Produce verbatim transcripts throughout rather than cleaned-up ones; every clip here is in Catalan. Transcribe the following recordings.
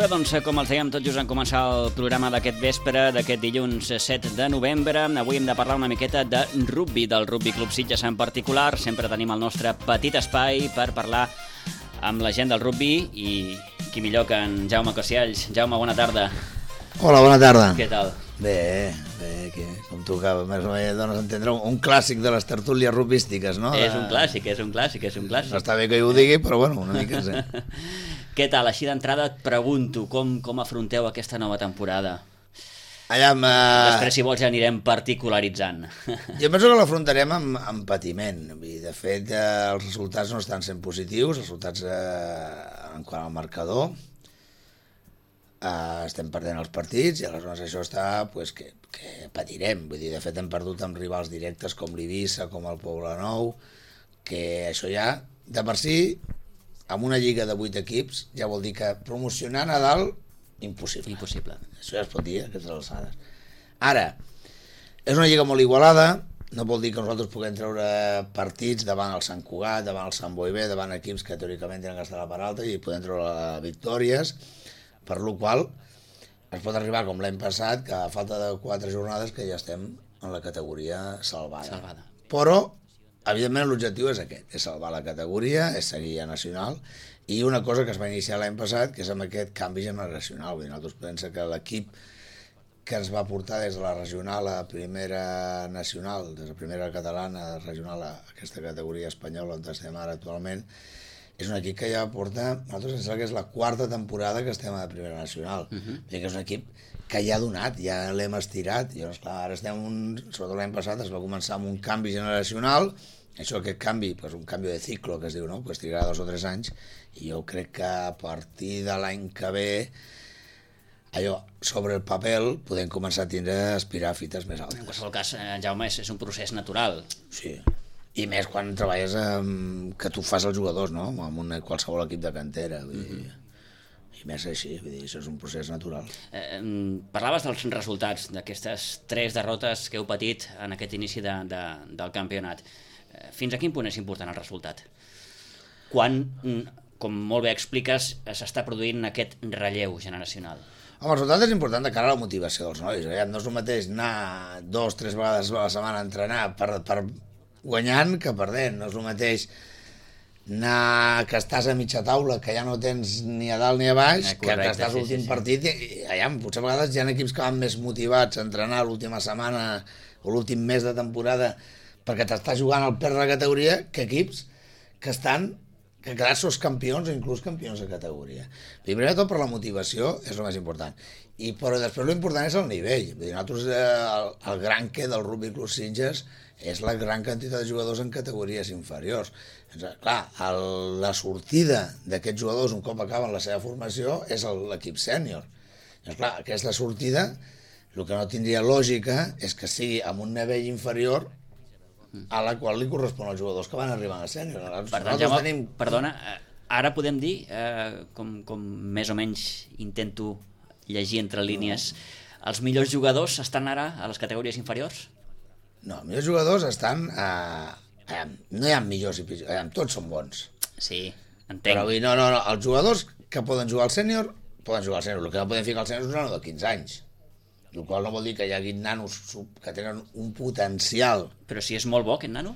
bé, doncs, com els dèiem, tot just en començar el programa d'aquest vespre, d'aquest dilluns set de novembre. Avui hem de parlar una miqueta de rugby, del Rugby Club Sitges en particular. Sempre tenim el nostre petit espai per parlar amb la gent del rugby i qui millor que en Jaume Cocialls. Jaume, bona tarda. Hola, bona tarda. Què tal? Bé, bé, que, com tu que més o menys dones a entendre, un, un clàssic de les tertúlies rugbyístiques, no? És un clàssic, és un clàssic, és un clàssic. No està bé que jo ho digui, però bueno, una mica sí. Què tal? Així d'entrada et pregunto, com, com afronteu aquesta nova temporada? Allà amb, uh... Després, si vols, ja anirem particularitzant. Jo penso que l'afrontarem amb, amb patiment. De fet, eh, els resultats no estan sent positius, els resultats eh, en quant al marcador. Uh, estem perdent els partits i aleshores això està pues, que, que patirem. Vull dir, de fet hem perdut amb rivals directes com l'Eivissa, com el Poblenou, que això ja, de per si, amb una lliga de vuit equips, ja vol dir que promocionar a dalt, impossible. Impossible. Això ja es pot dir, eh, aquestes alçades. Ara, és una lliga molt igualada, no vol dir que nosaltres puguem treure partits davant el Sant Cugat, davant el Sant Boi B, davant equips que teòricament tenen que estar a la part alta i podem treure victòries, per lo qual es pot arribar com l'any passat, que a falta de quatre jornades que ja estem en la categoria salvada. salvada. Però, evidentment, l'objectiu és aquest, és salvar la categoria, és seguir a nacional, i una cosa que es va iniciar l'any passat, que és amb aquest canvi generacional. Vull dir, nosaltres pensem que l'equip que ens va portar des de la regional a primera nacional, des de la primera catalana regional a aquesta categoria espanyola on estem ara actualment, és un equip que ja porta, nosaltres ens sembla que és la quarta temporada que estem a la primera nacional. Uh -huh. que és un equip que ja ha donat, ja l'hem estirat. I llavors, clar, ara estem, un, sobretot l'any passat, es va començar amb un canvi generacional, això, aquest canvi, pues, un canvi de ciclo, que es diu, no? Pues trigarà dos o tres anys, i jo crec que a partir de l'any que ve, allò, sobre el paper, podem començar a tindre a aspirar a fites més altes. En qualsevol cas, eh, Jaume, és, és un procés natural. Sí. I més quan treballes amb, que tu fas els jugadors, no? Amb un, qualsevol equip de cantera. Vull dir, uh-huh. I més així, vull dir, això és un procés natural. Eh, parlaves dels resultats, d'aquestes tres derrotes que heu patit en aquest inici de, de, del campionat. Eh, fins a quin punt és important el resultat? Quan, com molt bé expliques, s'està produint aquest relleu generacional? Home, el resultat és important de cara a la motivació dels nois. No és el mateix anar dos, tres vegades a la setmana a entrenar per... per guanyant que perdent. No és el mateix anar que estàs a mitja taula, que ja no tens ni a dalt ni a baix, eh, correcte, que estàs a l'últim sí, sí, partit i, i allà, potser a vegades hi ha equips que van més motivats a entrenar l'última setmana o l'últim mes de temporada perquè t'estàs jugant al perdre la categoria que equips que estan que quedar sos campions o inclús campions de categoria. Primer de tot per la motivació és el més important. I però després l'important és el nivell. Vull dir, nosaltres eh, el, el gran que del Rugby Club Sitges és la gran quantitat de jugadors en categories inferiors. Doncs, clar, el, la sortida d'aquests jugadors un cop acaben la seva formació és l'equip sènior. Doncs, clar, aquesta sortida, el que no tindria lògica és que sigui amb un nivell inferior a la qual li correspon als jugadors que van arribant a sènior. Per tant, Jaume, tenim... perdona, ara podem dir, eh, com, com més o menys intento llegir entre línies, no. Els millors jugadors estan ara a les categories inferiors? No, els millors jugadors estan... A... A... No hi ha millors i pitjors, tots són bons. Sí, entenc. Però no, no, no, els jugadors que poden jugar al sènior, poden jugar al sènior. El que no poden ficar al sènior és un nano de quinze anys. El qual no vol dir que hi hagi nanos que tenen un potencial. Però si és molt bo, aquest nano,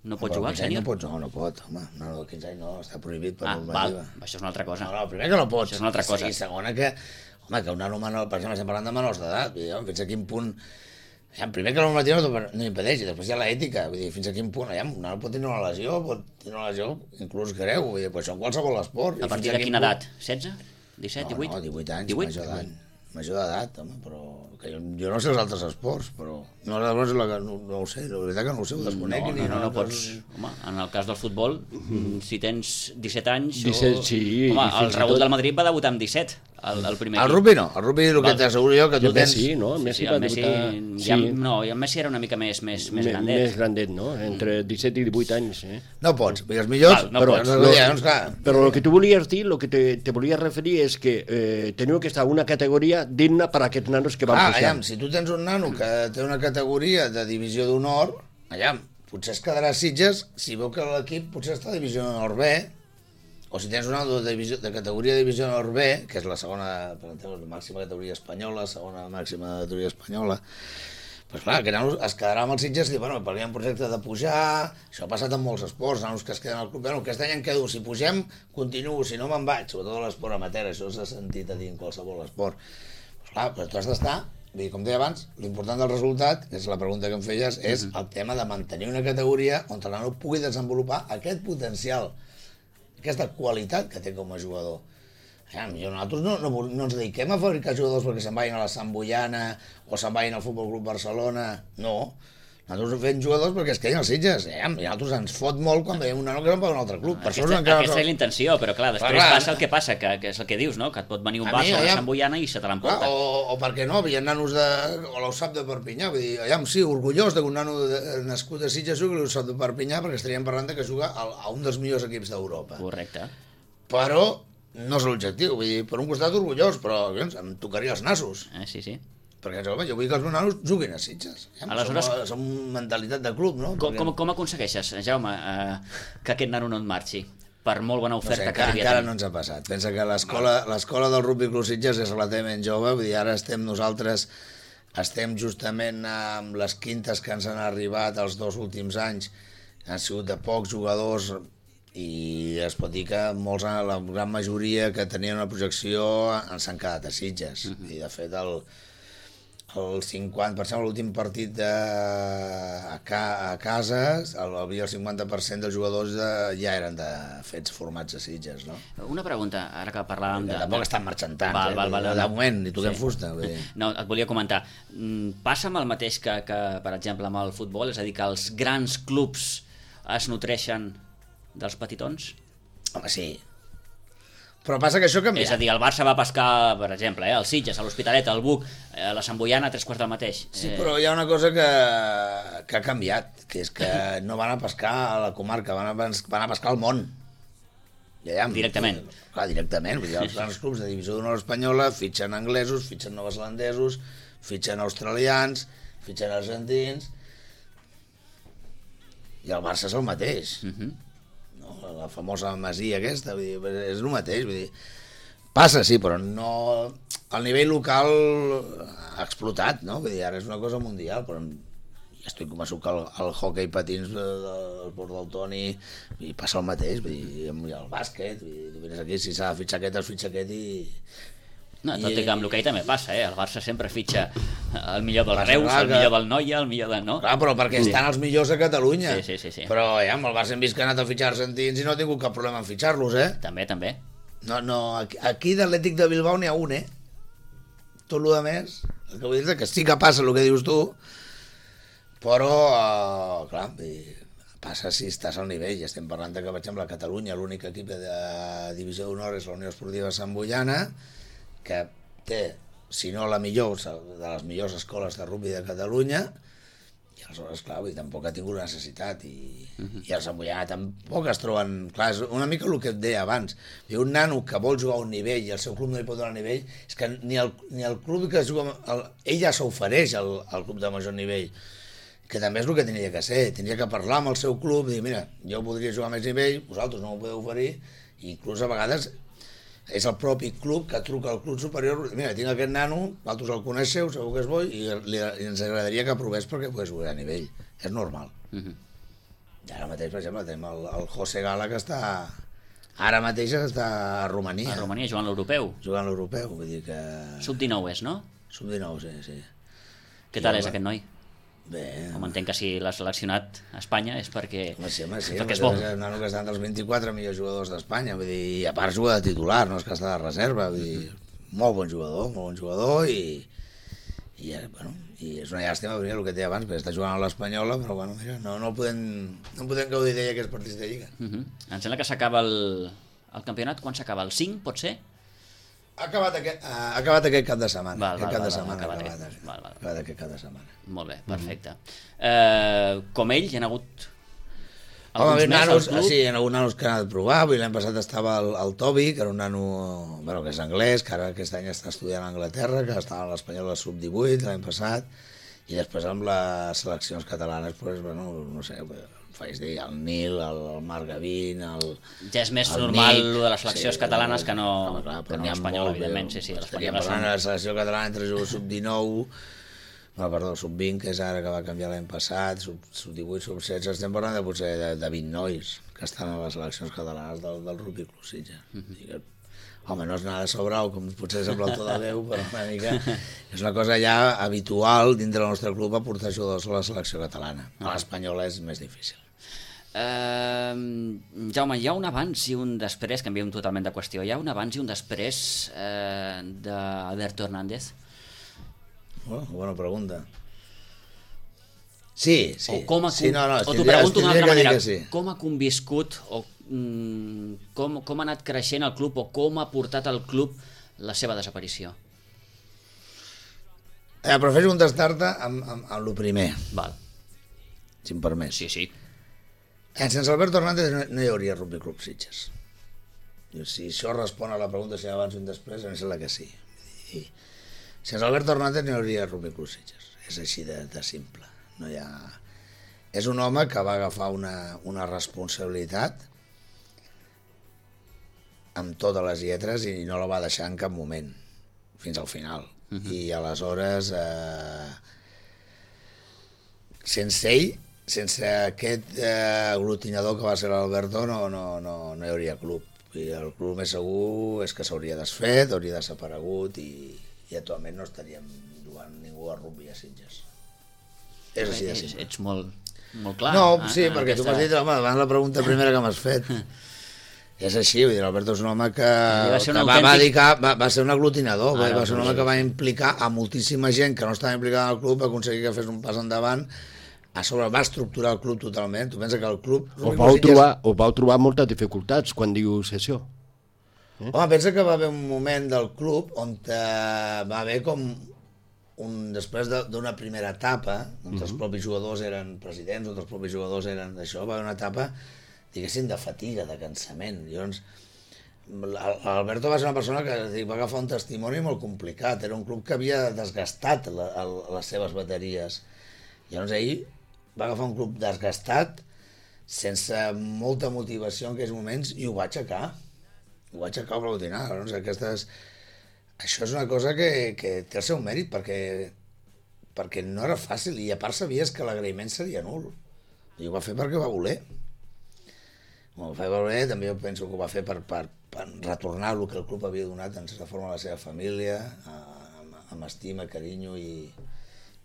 no pot jugar al sènior? No pot, no, no pot. Home, un nano de quinze anys no, està prohibit per ah, normativa. Val, això és una altra cosa. No, no, primer que no pot. Això és una altra cosa. I segona que, home, que un nano menor, per exemple, estem parlant de menors d'edat, fins a quin punt... Primer que la normativa no, no impedeix, i després hi ha l'ètica, vull dir, fins a quin punt, allà, un nano pot tenir una lesió, pot tenir una lesió inclús greu, vull dir, però això en qualsevol esport. A partir de quina edat? setze? disset? divuit? No, no, divuit anys, major d'edat. Major d'edat, home, però... Que jo, jo no sé els altres esports, però... No, no, no, no ho sé, la veritat que no ho sé, ho desconec. No, no, no, no pots... Home, en el cas del futbol, si tens disset anys... disset, o... sí. Home, el Raúl del Madrid va debutar amb disset, el, el primer equip. El rugby no, el rugby el que t'asseguro jo que tu tens... Messi, no? El Messi, sí, sí, el Messi va debutar... Ja, sí. No, i el Messi era una mica més, més, més grandet. Més grandet, no? Entre disset i divuit anys, eh? No pots, els millors... Val, no però, pots. No, no, doncs, clar. Però el que tu volies dir, el que te, te volies referir és que eh, teniu que estar una categoria digna per a aquests nanos que van ah, pujar. Allà, si tu tens un nano que té una categoria de divisió d'honor, allà, potser es quedarà a Sitges si veu que l'equip potser està a divisió d'honor B O si tens un nano de, divisió, de categoria de divisió nord B, que és la segona, per entendre, la màxima categoria espanyola, segona màxima categoria espanyola, pues clar, que nanos es quedarà amb els Sitges i dir, bueno, perquè hi ha un projecte de pujar, això ha passat en molts esports, nanos que es queden al club, bueno, aquest any em quedo, si pugem, continuo, si no me'n vaig, sobretot a l'esport amateur, això s'ha sentit a dir en qualsevol esport. Pues clar, però tu has d'estar, vull dir, com deia abans, l'important del resultat, que és la pregunta que em feies, és el tema de mantenir una categoria on el nano pugui desenvolupar aquest potencial, aquesta qualitat que té com a jugador. Ja, nosaltres no, no, no ens dediquem a fabricar jugadors perquè se'n vagin a la Sant Boiana o se'n vagin al Futbol Club Barcelona, no. Nosaltres fem jugadors perquè es quedin als Sitges. Ja, I nosaltres ens fot molt quan veiem un nano que se'n va a un altre club. Per aquesta encara... aquesta és la intenció, però clar, després clar, passa el que passa, que, que és el que dius, no? Que et pot venir un Barça o una Sant Boiana i se te l'emporta. O, o per què no, hi ha nanos de... o l'U S A P de Perpinyà, vull dir, ja, sí, orgullós d'un nano de, nascut a Sitges jugui a l'U S A P de Perpinyà perquè estaríem parlant de que juga a, a un dels millors equips d'Europa. Correcte. Però no és l'objectiu, vull dir, per un costat orgullós, però doncs, em tocaria els nassos. Eh, sí, sí. Perquè home, jo vull que els meus nanos juguin a Sitges. Ja, Aleshores, som, som mentalitat de club, no? Com, com, com aconsegueixes, Jaume, eh, que aquest nano no et marxi? Per molt bona oferta no sé, que encara, devia encara tenir. no ens ha passat. Pensa que l'escola del Rugby Club Sitges és relativament jove, vull dir, ara estem nosaltres, estem justament amb les quintes que ens han arribat els dos últims anys, han sigut de pocs jugadors, i es pot dir que molts, la gran majoria que tenien una projecció s'han quedat a Sitges. Uh -huh. I de fet el, el cinquanta per cent de l'últim partit de, a, ca, a casa el, el cinquanta per cent dels jugadors de, ja eren de fets formats a Sitges, no? Una pregunta, ara que parlàvem de... Tampoc estan marxant tant, val, eh? val, val, de no. moment, ni toquem Sí. fusta. Vull dir. No, et volia comentar, passa amb el mateix que, que, per exemple, amb el futbol, és a dir, que els grans clubs es nutreixen dels petitons? Home, sí. Però passa que això ha canviat. És a dir, el Barça va pescar, per exemple, eh, el Sitges, a l'Hospitalet, el Buc, eh, la Sant Boiana, tres quarts del mateix. Sí, eh... però hi ha una cosa que, que ha canviat, que és que no van a pescar a la comarca, van a, van a pescar al món. Ja, ja, directament. Clar, directament. Vull dir, els grans clubs de divisió d'honor espanyola fitxen anglesos, fitxen neozelandesos, fitxen australians, fitxen argentins, i el Barça és el mateix. Uh -huh. La famosa masia aquesta, vull dir, és el mateix, vull dir, passa, sí, però no... El nivell local ha explotat, no? Vull dir, ara és una cosa mundial, però ja estic convençut que el, el hockey patins del Port del Toni i passa el mateix, vull dir, el bàsquet, vull dir, tu vines aquí, si s'ha de fitxar aquest, es fitxa aquest i... No, tot i que amb l'hoquei també passa, eh? El Barça sempre fitxa el millor del Reus, el millor del Noia, el millor de... No? Clar, però perquè estan els millors a Catalunya. Sí, sí, sí, sí. Però ja, amb el Barça hem vist que ha anat a fitxar argentins i no ha tingut cap problema en fitxar-los, eh? També, també. No, no, aquí, aquí d'Atlètic de Bilbao n'hi ha un, eh? Tot el més, el que vull dir és que sí que passa el que dius tu, però, uh, clar, passa si estàs al nivell. Ja estem parlant de que, per exemple, a Catalunya l'únic equip de divisió d'honor és la Unió Esportiva Sant Boiana, que té, si no la millor, de les millors escoles de rugby de Catalunya, i aleshores, clar, vull dir, tampoc ha tingut necessitat, i, uh -huh. i els Sant Boiana tampoc es troben... Clar, és una mica el que et deia abans. Hi ha un nano que vol jugar a un nivell i el seu club no li pot donar nivell, és que ni el, ni el club que juga... El, ell ja s'ofereix al, al club de major nivell, que també és el que tenia que ser. Tenia que parlar amb el seu club i dir, mira, jo podria jugar a més nivell, vosaltres no m'ho podeu oferir, i inclús a vegades és el propi club que truca al club superior, mira, tinc aquest nano, vosaltres el coneixeu, segur que és bo, i, li, i ens agradaria que provés perquè pogués jugar a nivell. És normal. Uh -huh. I ara mateix, per exemple, tenim el, el José Gala, que està... Ara mateix està a Romania. A Romania, jugant l'europeu. Jugant l'europeu, vull dir que... sub dinou és, no? sub dinou, sí, sí. Què tal és aquest noi? Bé... Com entenc que si l'ha seleccionat a Espanya és perquè, home, sí, home, sí, perquè és bo. És un nano que està entre els vint-i-quatre millors jugadors d'Espanya, vull dir, i a part juga de titular, no és que està de reserva, vull dir, molt bon jugador, molt bon jugador, i, i, bueno, i és una llàstima, perquè el que té abans, perquè està jugant a l'Espanyola, però bueno, mira, no, no, podem, no podem gaudir d'ella aquests partits de Lliga. Uh -huh. Em sembla que s'acaba el, el campionat, quan s'acaba? El cinc, pot ser? Ha acabat aquest, ha acabat aquest cap de setmana. Val, aquest val, cap val, de setmana acabat ha acabat, aquest. Val, val. acabat aquest cap de setmana. Molt bé, perfecte. Mm -hmm. eh, com ell, hi ha hagut Home, alguns més nanos, al club? sí, hi ha hagut nanos que han anat a provar. L'any passat estava el, el Tobi, que era un nano, bueno, que és anglès, que ara aquest any està estudiant a Anglaterra, que estava a l'Espanyol sub divuit l'any passat, i després amb les seleccions catalanes, pues, bueno, no sé, faig dir, el Nil, el, el Marc Gavín, el... Ja és més el normal Nick, lo de les seleccions sí, catalanes que no, home, clar, que no l'espanyol, evidentment, sí, sí, estaríem l'espanyol parlant de la selecció catalana entre jugadors sub dinou, no, perdó, sub vint, que és ara que va canviar l'any passat, sub, sub divuit, sub setze, estem parlant de potser de, de vint nois que estan a les seleccions catalanes del, del Rugby Club Sitges. Mm -hmm. Home, no és nada sobrau, com potser sembla el to de Déu, però una mica és una cosa ja habitual dintre del nostre club aportar jugadors a la selecció catalana. A l'espanyola és més difícil. Uh, Jaume, hi ha un abans i un després, canviem totalment de qüestió, hi ha un abans i un després uh, d'Alberto Hernández? Oh, bona pregunta. Sí, sí. O, com ha, sí, no, no, o t'ho pregunto d'una altra manera, sí. Com ha conviscut o mm, com, com ha anat creixent el club o com ha portat al club la seva desaparició? Eh, prefereixo contestar-te amb, amb, amb el primer. Val. Si em permets. Sí, sí. Eh, sense Alberto Hernández no, no hi hauria Rugby Club Sitges. Si això respon a la pregunta si abans o un després, em sembla que sí. I, sense Alberto Hernández no hi hauria Rugby Club Sitges. És així de, de simple. No hi ha... És un home que va agafar una, una responsabilitat amb totes les lletres i no la va deixar en cap moment, fins al final. Uh -huh. I aleshores, eh, sense ell, sense aquest eh, aglutinador que va ser l'Alberto, no, no, no, no hi hauria club. I el club més segur és que s'hauria desfet, hauria desaparegut i, i actualment no estaríem jugant ningú a rugby a Sitges. És així de simple. Ets molt, molt clar. No, sí, eh, perquè aquesta... tu m'has dit, home, davant la pregunta primera que m'has fet. És així, vull dir, l'Alberto és un home que, va, ser un que autèntic... va, dedicar, va, va ser un aglutinador, ah, va, va ser un home sí. que va implicar a moltíssima gent que no estava implicada en el club, va aconseguir que fes un pas endavant, a sobre va estructurar el club totalment. Tu pensa que el club... Us vau, trobar, us vau trobar moltes dificultats quan dius això? Eh? Home, pensa que va haver un moment del club on eh, va haver com un, després d'una primera etapa, on uh-huh. els propis jugadors eren presidents, on els propis jugadors eren d'això, va haver una etapa, diguéssim, de fatiga, de cansament. Llavors, l'Alberto va ser una persona que va agafar un testimoni molt complicat, era un club que havia desgastat la, el, les seves bateries. Llavors ell va agafar un club desgastat, sense molta motivació en aquells moments, i ho va aixecar. Ho va aixecar o aplaudinar. Llavors, aquestes... Això és una cosa que, que té el seu mèrit, perquè, perquè no era fàcil, i a part sabies que l'agraïment seria nul. I ho va fer perquè va voler. Ho va fer per voler, també jo penso que ho va fer per, per, per retornar el que el club havia donat en certa forma a la seva família, amb, amb estima, carinyo i,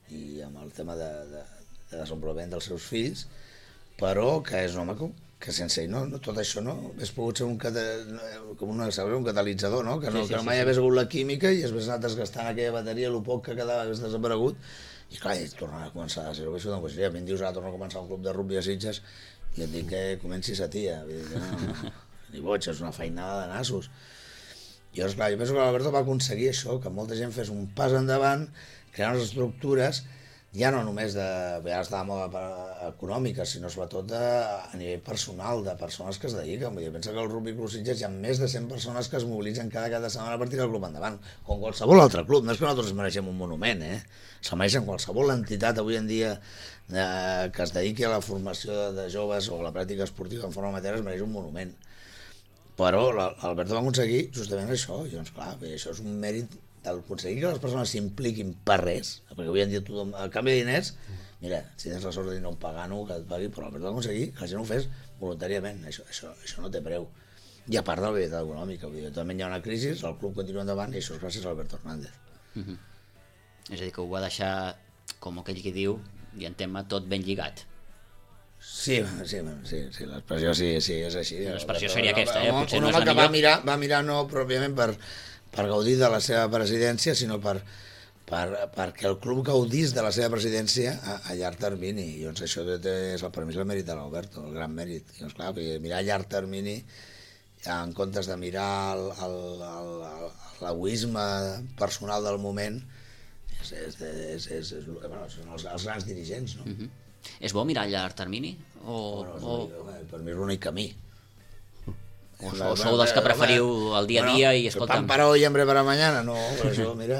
i amb el tema de, de, de desenvolupament dels seus fills, però que és un home que, que sense ell no, no, tot això no hagués pogut ser un, com una, un catalitzador, no? Que, no, sí, sí, que no mai sí, hagués hagut la química i es hagués anat desgastant aquella bateria, el poc que quedava hagués desaparegut, i clar, i tornava a començar a ser-ho, que això doncs, ja, ben dius, ara torna a començar un club de rugby a Sitges, i et dic que comencis a tia, vull dir que no, no, ni boig, és una feinada de nassos. I llavors, clar, jo penso que l'Alberto va aconseguir això, que molta gent fes un pas endavant, crear unes estructures, ja no només de, ja està de moda econòmica, sinó sobretot de, a nivell personal, de persones que es dediquen. Vull dir, pensa que al Rugby Club Sitges hi ha més de cent persones que es mobilitzen cada cada setmana per tirar el club endavant, com qualsevol altre club. No és que nosaltres ens mereixem un monument, eh? Se mereixen qualsevol entitat avui en dia eh, que es dediqui a la formació de, de joves o a la pràctica esportiva en forma amateur es mereix un monument. Però l'Alberto va aconseguir justament això, i doncs clar, això és un mèrit d'aconseguir que les persones s'impliquin per res, perquè avui en dia tothom, a canvi de diners, mira, si tens la sort de dir no un pagano que et pagui, però l'Alberto va aconseguir que la gent ho fes voluntàriament, això, això, això no té preu. I a part de la veritat econòmica, vull dir, també hi ha una crisi, el club continua endavant i això és gràcies a Alberto Hernández. Uh-huh. És a dir, que ho va deixar, com aquell que diu, i en tema tot ben lligat. Sí, sí, sí, sí l'expressió sí, sí, és així. L'expressió seria aquesta, eh? Potser un no és home la que millor. va mirar, va mirar no pròpiament per, per gaudir de la seva presidència, sinó per, per, perquè el club gaudís de la seva presidència a, a llarg termini. I doncs això és el permís del mèrit de l'Alberto, el gran mèrit. I doncs clar, mirar a llarg termini, en comptes de mirar l'egoisme personal del moment, és, és, és, és, és, bueno, són els, els grans dirigents, no? Uh-huh. És bo mirar a llarg termini? O, bueno, o... L'únic, per mi és l'únic camí. O, o sou dels que preferiu el dia a dia bueno, i escolta'm... Pan para hoy, hambre para mañana, no, per això, mira...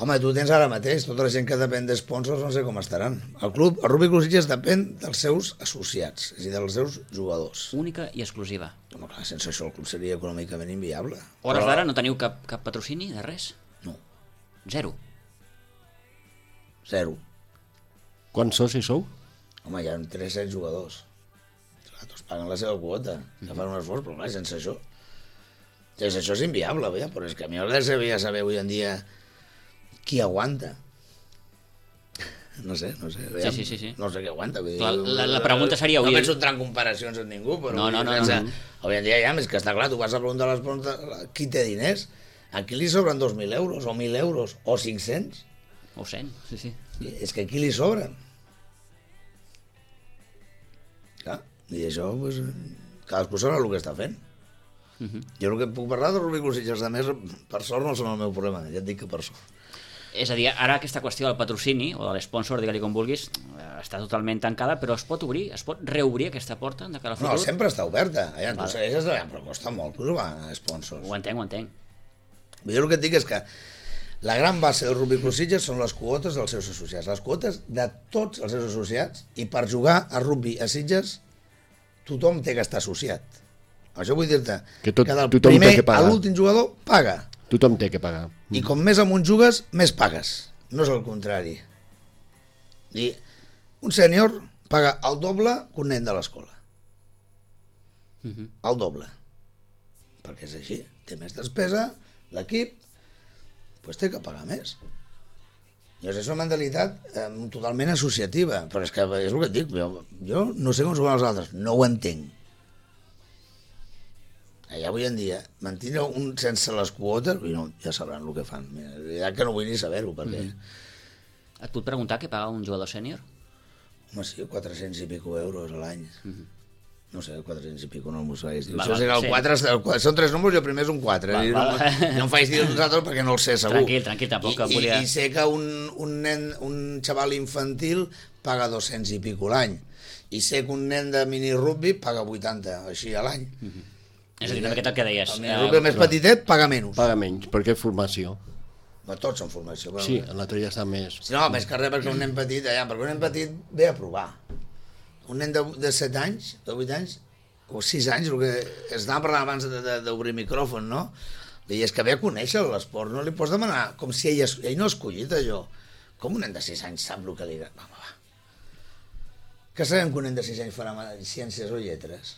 Home, tu tens ara mateix, tota la gent que depèn d'esponsors no sé com estaran. El club, el Rugby Club Sitges depèn dels seus associats, és a dir, dels seus jugadors. Única i exclusiva. Home, clar, sense això el club seria econòmicament inviable. Hores Però... d'ara no teniu cap, cap patrocini de res? No. Zero? Zero. Quants socis sou? Home, hi ha tres cents jugadors. Clar, tots paguen la seva quota, que fan un esforç, però clar, sense això... Sense això és inviable, veia, però és que a mi m'agradaria saber avui en dia qui aguanta. No sé, no sé. Sí, sí, sí, sí. No sé què aguanta. Vull dir, Clar, la, la pregunta seria... No avui... penso entrar en comparacions amb ningú, però... No, no, no, pensa, no, no. Avui en dia ja, és que està clar, tu vas a preguntar a les preguntes qui té diners, a qui li sobren dos mil euros, o mil euros, o cinc-cents? O cent, sí, sí. És que a qui li sobren? Clar, i això, doncs, cadascú sabrà el que està fent. Uh -huh. Jo el que puc parlar de Rugby Club Sitges, de més, per sort no són el meu problema, ja et dic que per sort. És a dir, ara aquesta qüestió del patrocini o de l'esponsor, digue-li com vulguis, està totalment tancada, però es pot obrir, es pot reobrir aquesta porta de cara al futur? No, sempre està oberta. Allà, tu Vale. segueixes treballant, però costa molt trobar sponsors. Ho entenc, ho entenc. Jo el que et dic és que la gran base del Rugby Club Sitges són les quotes dels seus associats, les quotes de tots els seus associats, i per jugar a rugby a Sitges tothom té que estar associat. Això vull dir-te Que tot- que del tothom té primer que pagar. a l'últim jugador paga. Tothom té que pagar. I com més amunt jugues, més pagues. No és el contrari. I un sènior paga el doble que un nen de l'escola. Uh -huh. El doble. Perquè és així. Té més despesa, l'equip, doncs té que pagar més. Llavors és una mentalitat eh, totalment associativa. Però és que és el que et dic. Jo, jo no sé com s'ho fan els altres. No ho entenc. Allà avui en dia, mantenir un sense les quotes, no, ja sabran el que fan. Ja que no vull ni saber-ho, perquè... Mm -hmm. Et puc preguntar què paga un jugador sènior? Home, sí, quatre-cents i pico euros a l'any. Mm -hmm. No sé, quatre-cents i pico no m'ho sabés dir. Va, Això va, és que el sí. quatre, el quatre, són tres números i el primer és un quatre. Va, I va. no, no em faig dir uns altres perquè no el sé, segur. Tranquil, tranquil, tampoc I, em volia- I, I sé que un, un nen, un xaval infantil paga dos-cents i pico l'any. I sé que un nen de mini-rugby paga vuitanta, així, a l'any. Mm -hmm. És a dir, una miqueta el que deies. El mini-rugby més clar. petitet paga menys. Paga menys, perquè és formació. Però tots són formació. Però... Sí, l'altre ja està més... Si no, més que res perquè un nen petit, allà, perquè un nen petit ve a provar. Un nen de, de set anys, de vuit anys, o sis anys, el que estàvem parlant abans d'obrir micròfon, no? I és que ve a conèixer l'esport, no li pots demanar, com si ell, es, ell no ha escollit allò. Com un nen de sis anys sap el que li... Va, va, va. Que sabem que un nen de sis anys farà ciències o lletres?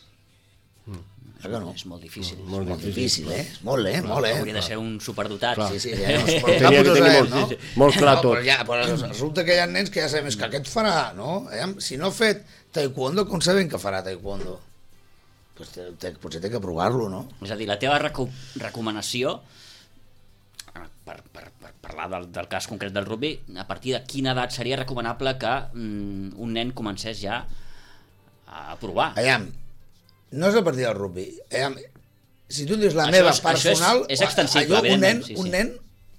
Mm. Que no? És molt difícil. Mm, molt Molt difícil, eh? Molt, eh? Molt, eh? Hauria de ser un superdotat. Sí, sí, ja, no, Tenia que tenir molt- no? molt clar no, tot. Però, ja, però resulta que hi ha nens que ja sabem és que aquest farà, no? Aviam, si no ha fet taekwondo, com sabem que farà taekwondo? Pues té, té, potser té que provar-lo, no? És a dir, la teva reco recomanació, per, per, per parlar del, del cas concret del rugby, a partir de quina edat seria recomanable que mm, un nen comencés ja a provar? Aviam, no és a partir del rugby. Aviam, si tu em dius la Això meva és- això és- personal... és extensible, allò, un nen, evidentment, sí, un sí. nen,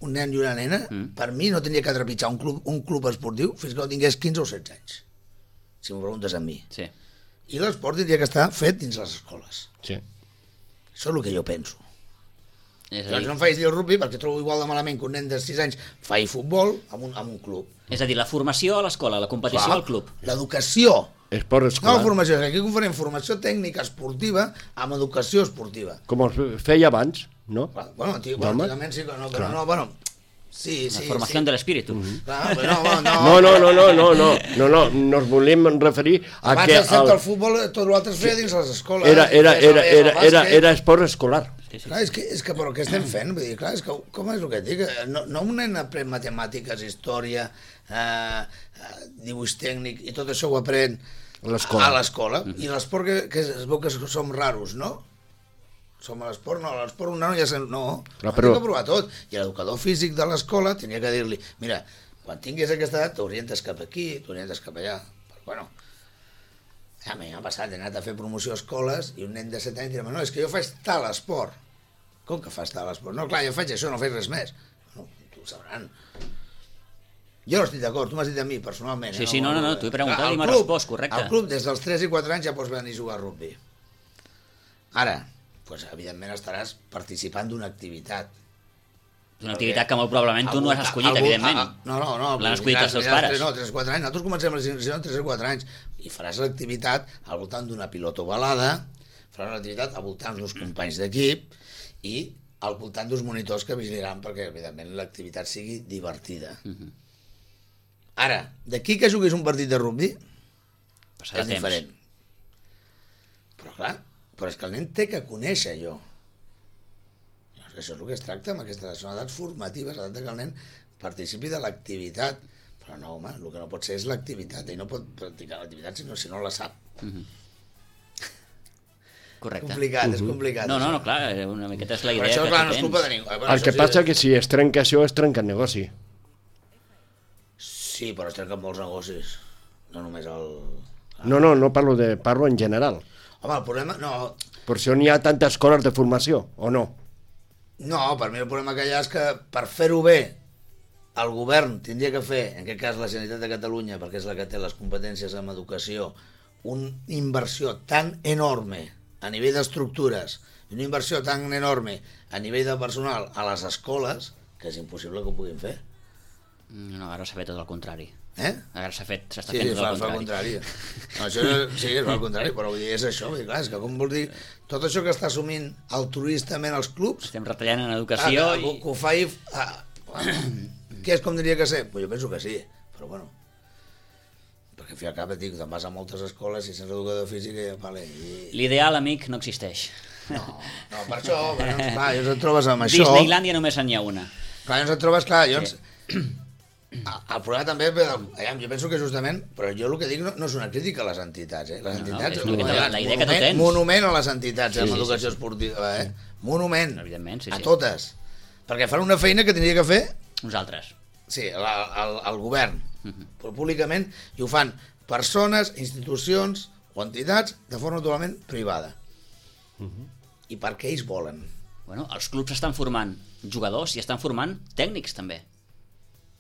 un nen i una nena, Mm. per mi no tenia que trepitjar un club, un club esportiu fins que no tingués quinze o setze anys. Si m'ho preguntes a mi. Sí. I l'esport tindria que estar fet dins les escoles. Sí. Això és el que jo penso. És a Doncs dir, no em faig dir el rugby perquè trobo igual de malament que un nen de sis anys faci futbol amb un, amb un club. és a dir, la formació a l'escola, la competició Clar, al club. L'educació. Esport No escolar. la formació, aquí confonem formació tècnica esportiva amb educació esportiva. Com es feia abans, no? Clar, bueno, antig bueno, Home. antigament sí, però no, però no, bueno, sí, La sí. formació sí. de l'espíritu. Clar, però no, no, No, no, no, no, no, no, no, no, nos volíem referir a Abans que excepte el- el futbol, tot l'altre es feia dins les escoles. era, era, es era, feia el era, era, bàsquet. era esport escolar. Sí, sí. Clar, és que, és que però què estem fent? Vull dir, clar, és que, com és el que et dic? No, no un nen aprèn matemàtiques, història, eh, eh, dibuix tècnic, i tot això ho aprèn A l'escola. a l'escola. I l'esport que, que es veu que som raros, no? Som a l'esport, no, a l'esport un nano ja se... No, Clar, però... però- que provar tot. I l'educador físic de l'escola tenia que dir-li, mira, quan tinguis aquesta edat t'orientes cap aquí, t'orientes cap allà. Però, bueno, a mi m'ha passat, he anat a fer promoció a escoles i un nen de set anys dirà, no, és que jo faig tal esport. Com que fas tal esport? No, clar, jo faig això, no faig res més. No, tu ho sabran. Jo no estic d'acord, tu m'has dit a mi personalment. Sí, eh? sí, no, no, no, t'ho he preguntat Clar, i al m'has club- respost, correcte. Al club, des dels tres i quatre anys ja pots venir a jugar a rugby. Ara, pues, evidentment estaràs participant d'una activitat. És una activitat que molt probablement tu no has escollit, algú, evidentment. A, no, no, no. L'han escollit els teus pares. No, tres o quatre anys. Nosaltres comencem a les tres o quatre anys i faràs l'activitat al voltant d'una pilota ovalada, faràs l'activitat al voltant d'uns companys d'equip i al voltant d'uns monitors que vigilaran perquè, evidentment, l'activitat sigui divertida. Uh -huh. Ara, d'aquí que juguis un partit de rugby, passarà és temps. diferent. Però clar, però és que el nen té que conèixer allò. Això és el que es tracta amb aquestes són edats formatives, l'edat que el nen participi de l'activitat. Però no, home, el que no pot ser és l'activitat, i no pot practicar l'activitat si no, si no la sap. Uh -huh. Correcte. Complicat, uh -huh. és complicat. No, no, no, clar, una miqueta és la idea però això, que clar, tu no és tens. culpa de ningú. Bueno, el que sí, passa és que si es trenca això, es trenca el negoci. Sí, però es trenquen molts negocis. No només el... No, no, no parlo, de, parlo en general. Home, el problema... No, Per això n'hi ha tantes escoles de formació, o no? no, per mi el problema que hi ha és que per fer-ho bé el govern tindria que fer, en aquest cas la Generalitat de Catalunya, perquè és la que té les competències en educació, una inversió tan enorme a nivell d'estructures, una inversió tan enorme a nivell de personal a les escoles, que és impossible que ho puguin fer. No, ara s'ha fet tot el contrari. Eh? Ara s'ha fet, s'està Sí, fent sí, tot fa, el fa el contrari. contrari. No, això és, sí, és el contrari, però vull dir, és això. Vull dir, clar, és que com vols dir, tot això que està assumint altruistament els clubs, Estem retallant en educació ah, i... que ho faci... Ah, què és com diria que sé? Pues jo penso que sí, però bueno. Perquè al fi al cap et dic, te'n vas a moltes escoles i sense educador físic i... Vale, i... L'ideal, amic, no existeix. No, no, per això, bueno, clar, llavors et trobes amb això... Disneylàndia només n'hi ha una. Clar, llavors et trobes, clar, llavors... Sí. El problema també, aviam, jo penso que justament, però jo el que dic no, no és una crítica a les entitats, eh? Les No, no, entitats, és una miqueta la- la idea que tu monument, tens. monument a les entitats, Sí, sí, amb sí, educació sí, sí. esportiva, eh? Monument, Evidentment, sí, a sí. totes. Perquè fan una feina que tindria que fer, Nosaltres. sí, la, el, el govern, Uh -huh. però públicament, i ho fan persones, institucions o entitats de forma totalment privada. Uh -huh. I perquè ells volen. Bueno, els clubs estan formant jugadors i estan formant tècnics, també.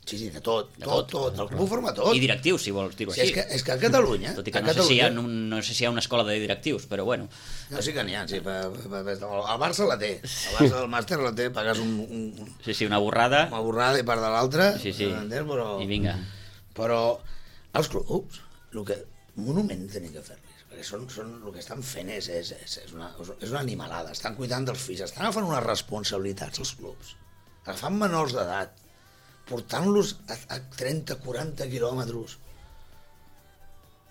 Sí, sí, de tot, De tot, tot. tot, el club ho forma tot. I directius, si vols dir-ho Sí, així. és, que, és que a Catalunya... Tot i que a no sé, si hi Catalunya, ha, un, no sé si hi ha una escola de directius, però bueno. No, sí que n'hi ha, sí. Per, per, per, el Barça la té. El Barça del màster la té, pagues un, un, Sí, sí, una borrada. una borrada i part de l'altra. Sí, sí. Entens? Però, I vinga. Però els clubs, el que monument tenen que fer-los, perquè són, són, el que estan fent és, és, és, és, una, és una animalada. Estan cuidant dels fills, estan agafant unes responsabilitats els clubs. Agafant menors d'edat, portant-los a, a trenta quaranta quilòmetres.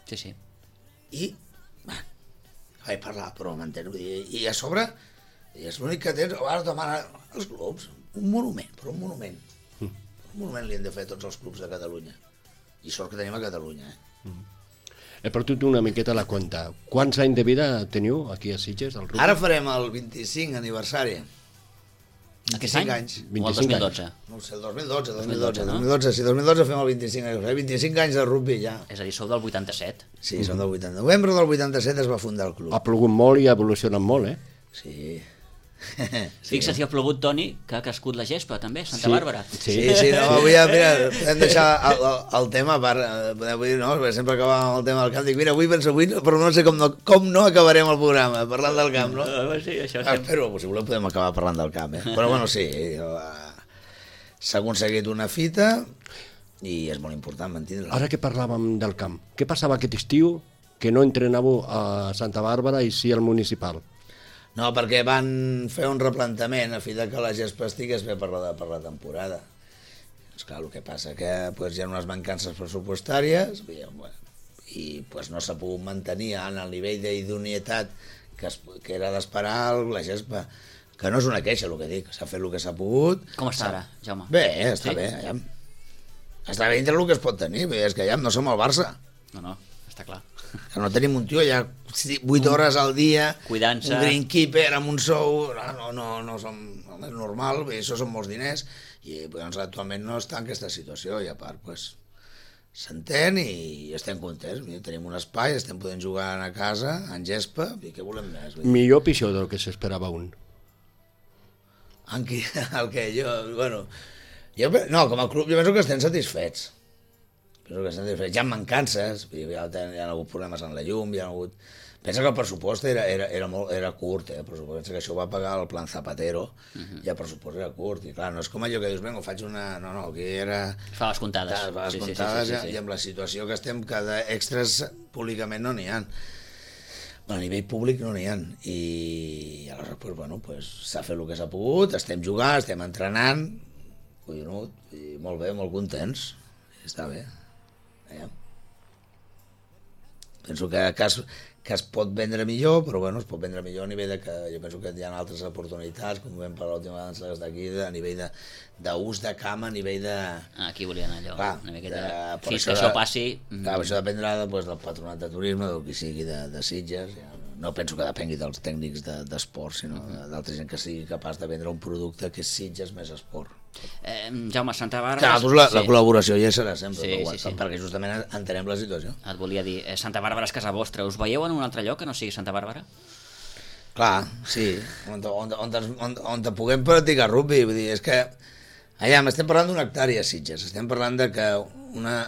Sí, sí. I, va, vaig parlar, però m'entens? Vull dir, I a sobre, i és l'únic que tens, ara demana els clubs, un monument, però un monument. Mm. Un monument li han de fer tots els clubs de Catalunya. I sort que tenim a Catalunya, eh? Mm. He perdut una miqueta la compta. Quants anys de vida teniu aquí a Sitges, al rugby? Ara farem el vint-i-cinc aniversari. Aquest any? anys. O el dos mil dotze? No ho sé, el dos mil dotze, dos mil dos mil dotze, dotze, no? dos mil dotze, sí, dos mil dotze fem el vint-i-cinc aniversari. vint-i-cinc anys de rugby ja. És a dir, sou del vuitanta-set. Sí, som del vuitanta. Novembre del vuitanta-set es va fundar el club. Ha plogut molt i ha evolucionat molt, eh? Sí. Fixa't si ha plogut, Toni, que ha crescut la gespa, també, Santa Sí. Bàrbara. Sí, sí, no, avui, mira, podem deixar el, el, el tema per, eh, podem dir, no, perquè sempre acabàvem amb el tema del camp, dic, mira, avui penso, avui, no, però no sé com no, com no acabarem el programa, parlant del camp, no? Uh, sí, això Ah, sí. espero, si voleu podem acabar parlant del camp, eh? Però bueno, sí, eh, s'ha aconseguit una fita i és molt important mantenir-la. Ara que parlàvem del camp, què passava aquest estiu que no entrenàveu a Santa Bàrbara i sí al municipal? No, perquè van fer un replantament a fi de que la gespa estigués bé per la, per la temporada. És clar, el que passa que pues, hi ha unes mancances pressupostàries i, bueno, i pues, no s'ha pogut mantenir en el nivell d'idoneïtat que, es, que era d'esperar la gespa. Que no és una queixa, el que dic, s'ha fet el que s'ha pogut. Com està ara, Jaume? Bé, està Sí? bé, allà. Està bé dintre el que es pot tenir, vull dir, és que allà no som el Barça. No, no, està clar. Que no tenim un tio allà vuit hores al dia, Cuidant-se. un greenkeeper amb un sou, no, no, no, no som, no és normal, bé, això són molts diners, i doncs, actualment no està en aquesta situació, i a part, pues, s'entén i estem contents, vull dir, tenim un espai, estem podent jugar a casa, en gespa, i què volem més? Vull dir, Millor o pitjor del que s'esperava un? en qui, el que jo, bueno, jo, no, com a club jo penso que estem satisfets, penso que estem satisfets, hi ha mancances, vull dir, hi ha, hi ha hagut problemes en la llum, hi ha hagut... Pensa que el pressupost era, era, era, molt, era curt, eh? Però pensa que això ho va pagar el plan Zapatero, uh-huh. i el pressupost era curt, i clar, no és com allò que dius, vinga, faig una... No, no, aquí era... Fa les comptades. Fa les sí, comptades, sí, sí, sí, sí. i amb la situació que estem, cada extras públicament no n'hi ha. Bueno, a nivell públic no n'hi ha, i aleshores, pues, bueno, pues, s'ha fet el que s'ha pogut, estem jugant, estem entrenant, collonut, i molt bé, molt contents, i està bé. Ja. Penso que, que, es, que es pot vendre millor, però bueno, es pot vendre millor a nivell de que jo penso que hi ha altres oportunitats, com vam parlar l'última vegada d'aquí, a nivell d'ús de, de camp, a nivell de... Ah, aquí volia anar allò, clar, una miqueta... De, fins això que això passi... Clar, això dependrà pues, del patronat de turisme, del que sigui de, de Sitges. Ja. No penso que depengui dels tècnics d'esport, de, sinó uh-huh. d'altra gent que sigui capaç de vendre un producte que és Sitges més esport. Eh, Jaume, Santa Bàrbara... Clar, doncs la, sí. la col·laboració ja serà sempre, sí, però, sí, sí. perquè justament entenem la situació. Et volia dir, eh, Santa Bàrbara és casa vostra, us veieu en un altre lloc que no sigui Santa Bàrbara? Clar, sí, on, on, on, on, on te puguem practicar rugby, vull dir, és que allà estem parlant d'una hectàrea a Sitges, estem parlant de que una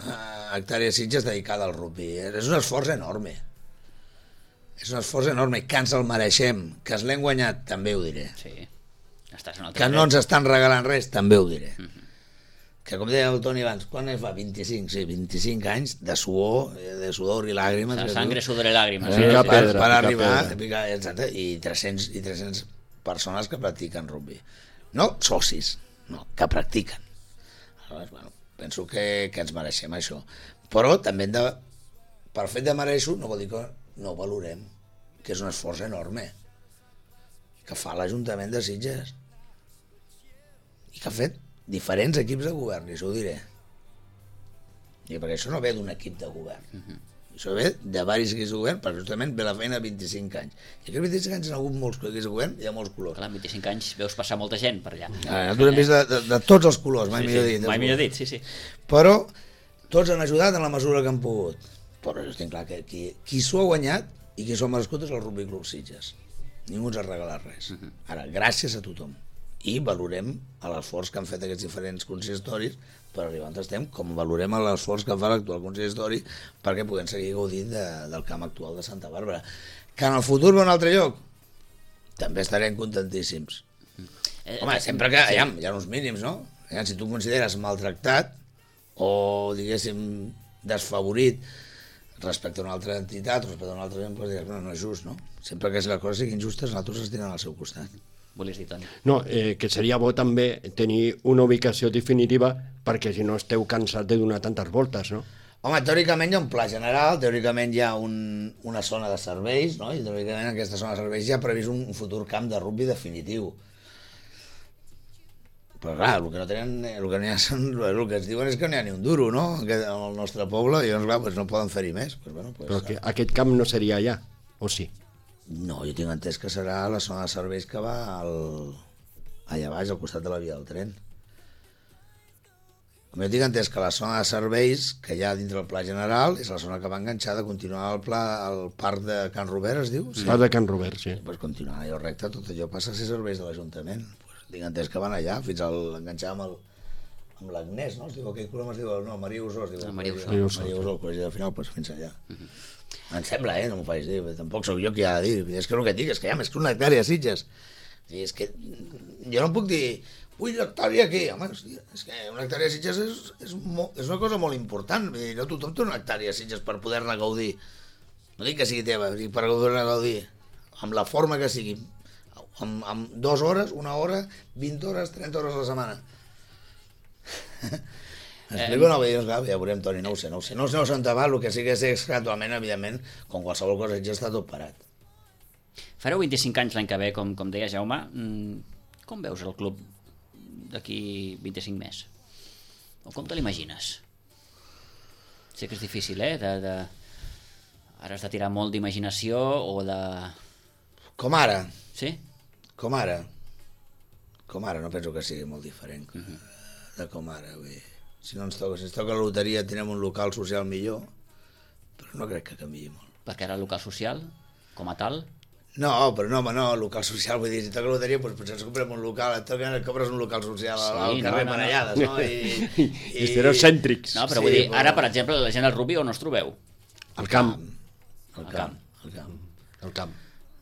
hectàrea a Sitges dedicada al rugby, és un esforç enorme, és un esforç enorme, que ens el mereixem, que ens l'hem guanyat, també ho diré. Sí. Estàs en que no ens estan regalant res, també ho diré. Uh-huh. Que com deia el Toni abans, quan fa? vint-i-cinc, sí, vint-i-cinc anys de suor, de sudor i làgrimes. La sangre, sudor i làgrimes. Eh, Sí, per, pedra, per arribar, picar, exacte, i tres-cents, i tres-cents persones que practiquen rugby. No socis, no, que practiquen. Aleshores, bueno, penso que, que ens mereixem això. Però també hem de, per fet de mereixo, no vol dir que no valorem, que és un esforç enorme que fa l'Ajuntament de Sitges i que ha fet diferents equips de govern, i això ho diré. I perquè això no ve d'un equip de govern. Uh-huh. Això ve de diversos equips de govern, perquè justament ve la feina de vint-i-cinc anys. I aquests vint-i-cinc anys hi ha hagut molts equips de govern i hi ha molts colors. Clar, en vint-i-cinc anys veus passar molta gent per allà. Ah, nosaltres hem vist de, de, de tots els colors, mai sí, millor sí, dit. Mai millor dit, sí, sí. Però tots han ajudat en la mesura que han pogut. Però jo estic clar que qui, qui s'ho ha guanyat i qui s'ho ha merescut és el Rugby Club Sitges. Ningú ens ha regalat res. Uh-huh. Ara, gràcies a tothom. I valorem l'esforç que han fet aquests diferents consistoris per arribar on estem, com valorem l'esforç que fa l'actual consistori perquè puguem seguir gaudint de, del camp actual de Santa Bàrbara. Que en el futur va a un altre lloc? També estarem contentíssims. Eh, Home, sempre que sí. hi, ha, hi ha uns mínims, no? Si tu consideres maltractat o, diguéssim, desfavorit respecte a una altra entitat, respecte a una altra gent, doncs diràs, no, no és just, no? Sempre que les coses siguin justes, nosaltres ens tenen al seu costat. Volies dir, Toni? No, eh, que seria bo també tenir una ubicació definitiva perquè si no esteu cansats de donar tantes voltes, no? Home, teòricament hi ha un pla general, teòricament hi ha un, una zona de serveis, no? I teòricament en aquesta zona de serveis hi ha previst un futur camp de rugby definitiu. Però clar, el que no tenen, el que, ha, són, el que ens diuen és que no hi ha ni un duro, no? Al nostre poble, i llavors, clar, pues no poden fer-hi més. Pues, bueno, pues, Però que aquest camp no seria allà, o sí? No, jo tinc entès que serà la zona de serveis que va al... allà baix, al costat de la via del tren. Com jo tinc entès que la zona de serveis que hi ha dintre del pla general és la zona que va enganxar de continuar el pla al parc de Can Robert, es diu? Sí. Parc de Can Robert, sí. Pues continuar allò recte, tot allò passa a ser serveis de l'Ajuntament. Pues tinc entès que van allà, fins al enganxar amb el amb l'Agnès, no? Es diu, aquell colom es diu, no, Maria Usó, es diu. Maria Usó. Maria Usó, el col·legi de final, pues fins allà. Uh-huh. Em sembla, eh? No m'ho faig dir, tampoc sóc jo qui ha de dir. És que el que et dic és que hi ha més que una hectàrea a Sitges. És que jo no puc dir, vull una hectàrea aquí. Home, és que una hectàrea a Sitges és, és, mo, és una cosa molt important. No tothom té una hectàrea a Sitges per poder-ne gaudir. No dic que sigui teva, dic per poder-ne gaudir. Amb la forma que sigui. Amb, amb dues hores, una hora, vint hores, trenta hores a la setmana. Explico, no, doncs, clar, ja veurem, Toni, no ho sé, no ho sé, no sé on va, el que sí que sé és que actualment, evidentment, com qualsevol cosa, ja està tot parat. Fareu vint-i-cinc anys l'any que ve, com, com deia Jaume, com veus el club d'aquí vint-i-cinc més? O com te l'imagines? Sé que és difícil, eh? De, de... Ara has de tirar molt d'imaginació o de... Com ara. Sí? Com ara. Com ara, no penso que sigui molt diferent uh-huh. de com ara, vull dir. Si no ens toca, si ens toca la loteria tindrem un local social millor, però no crec que canviï molt. Perquè ara el local social, com a tal... No, però no, home, no, local social, vull dir, si toca la loteria, doncs potser ens comprem un local, et toca, compres un local social sí, al carrer no, no, Manellades, no? I, i, i estereocèntrics. No, però vull sí, dir, ara, per exemple, la gent al rugby on us trobeu? Al camp. Al camp, al camp. El camp.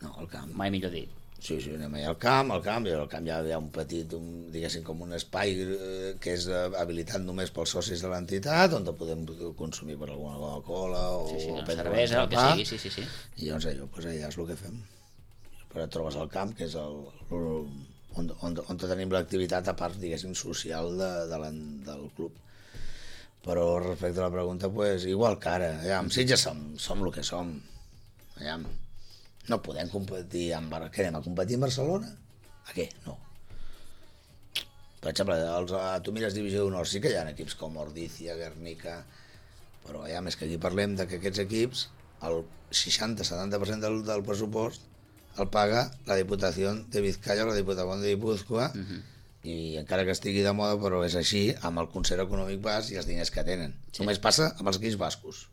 No, el camp. Mai millor dit. Sí, sí, anem allà al camp, al camp, i al camp hi ha, hi ha un petit, un, diguéssim, com un espai eh, que és eh, habilitat només pels socis de l'entitat, on podem consumir per alguna Coca-Cola o Sí, sí, una prendre cervesa, el que pa, sigui, sí, sí, sí. I llavors allò, doncs allà és el que fem. Però et trobes al camp, que és el, el, on, on, on tenim l'activitat a part, diguéssim, social de, de la, del club. Però respecte a la pregunta, pues, igual que ara, ja, amb Sitges som, som el que som. Ja, no podem competir amb... Què anem a competir amb Barcelona? A què? No. Per exemple, els, tu mires Divisió d'Honor, sí que hi ha equips com Ordizia, Guernica, però ja més que aquí parlem de que aquests equips, el seixanta a setanta per cent del, del pressupost el paga la Diputació de Vizcaya o la Diputació de Guipúzcoa, uh-huh. i encara que estigui de moda, però és així, amb el concert econòmic basc i els diners que tenen. Sí. Només passa amb els equips bascos.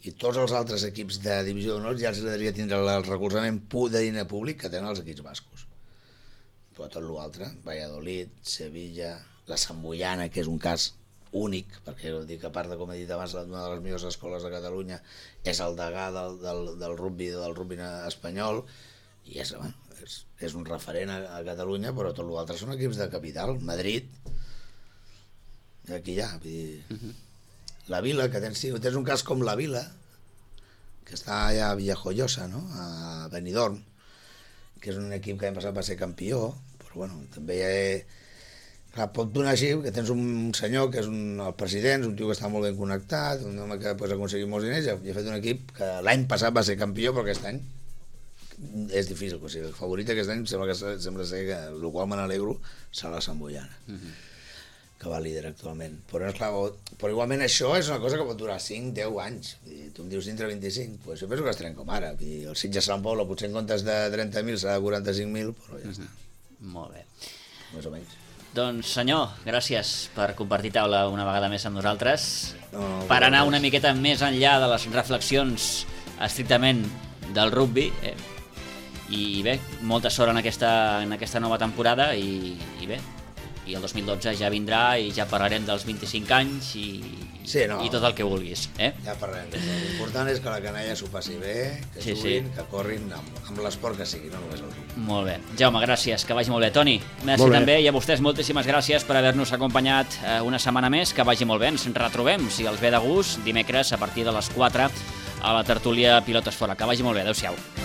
I tots els altres equips de Divisió d'Honor ja els agradaria tindre el recolzament de diner públic que tenen els equips bascos. Però tot l'altre, Valladolid, Sevilla, la Samboiana, que és un cas únic, perquè dic, a part de, com he dit abans, una de les millors escoles de Catalunya, és el degà del, del, del rugby del rugby espanyol, i és, bueno, és, és un referent a, a Catalunya, però tot l'altre són equips de capital. Madrid, aquí ja, vull dir... Uh-huh. La Vila, que tens, tens un cas com la Vila, que està allà a Villajoyosa, no? A Benidorm, que és un equip que l'any passat va ser campió, però bueno, també hi ha... Clar, pot donar així, que tens un senyor que és un, el president, un tio que està molt ben connectat, un home que pot aconseguir molts diners, i ha fet un equip que l'any passat va ser campió, però aquest any és difícil, o sigui, el favorit aquest any sembla, que, sembla ser que, el qual me n'alegro, serà la Samboiana. Uh-huh. Que va líder actualment. Però, esclar, però igualment això és una cosa que pot durar cinc a deu anys. I tu em dius dintre vint-i-cinc, doncs jo penso que estarem com ara. I el Sitges Sant Poble potser en comptes de trenta mil serà de quaranta-cinc mil, però ja està. Mm-hmm. Molt bé. Més o menys. Doncs senyor, gràcies per compartir taula una vegada més amb nosaltres. No, no, per anar una miqueta més enllà de les reflexions estrictament del rugby. Eh? I bé, molta sort en aquesta, en aquesta nova temporada i, i bé, i el dos mil dotze ja vindrà i ja parlarem dels vint-i-cinc anys i, sí, no. i tot el que vulguis. Eh? Ja parlarem. L'important és que la canalla s'ho passi bé, que sí, juguin, sí. que corrin amb, amb l'esport que sigui, no només el rugby. Molt bé. Jaume, gràcies, que vagi molt bé. Toni, merci també, i a vostès moltíssimes gràcies per haver-nos acompanyat una setmana més, que vagi molt bé. Ens retrobem, si els ve de gust, dimecres a partir de les quatre a la tertúlia Pilotes Fora. Que vagi molt bé. Adéu-siau.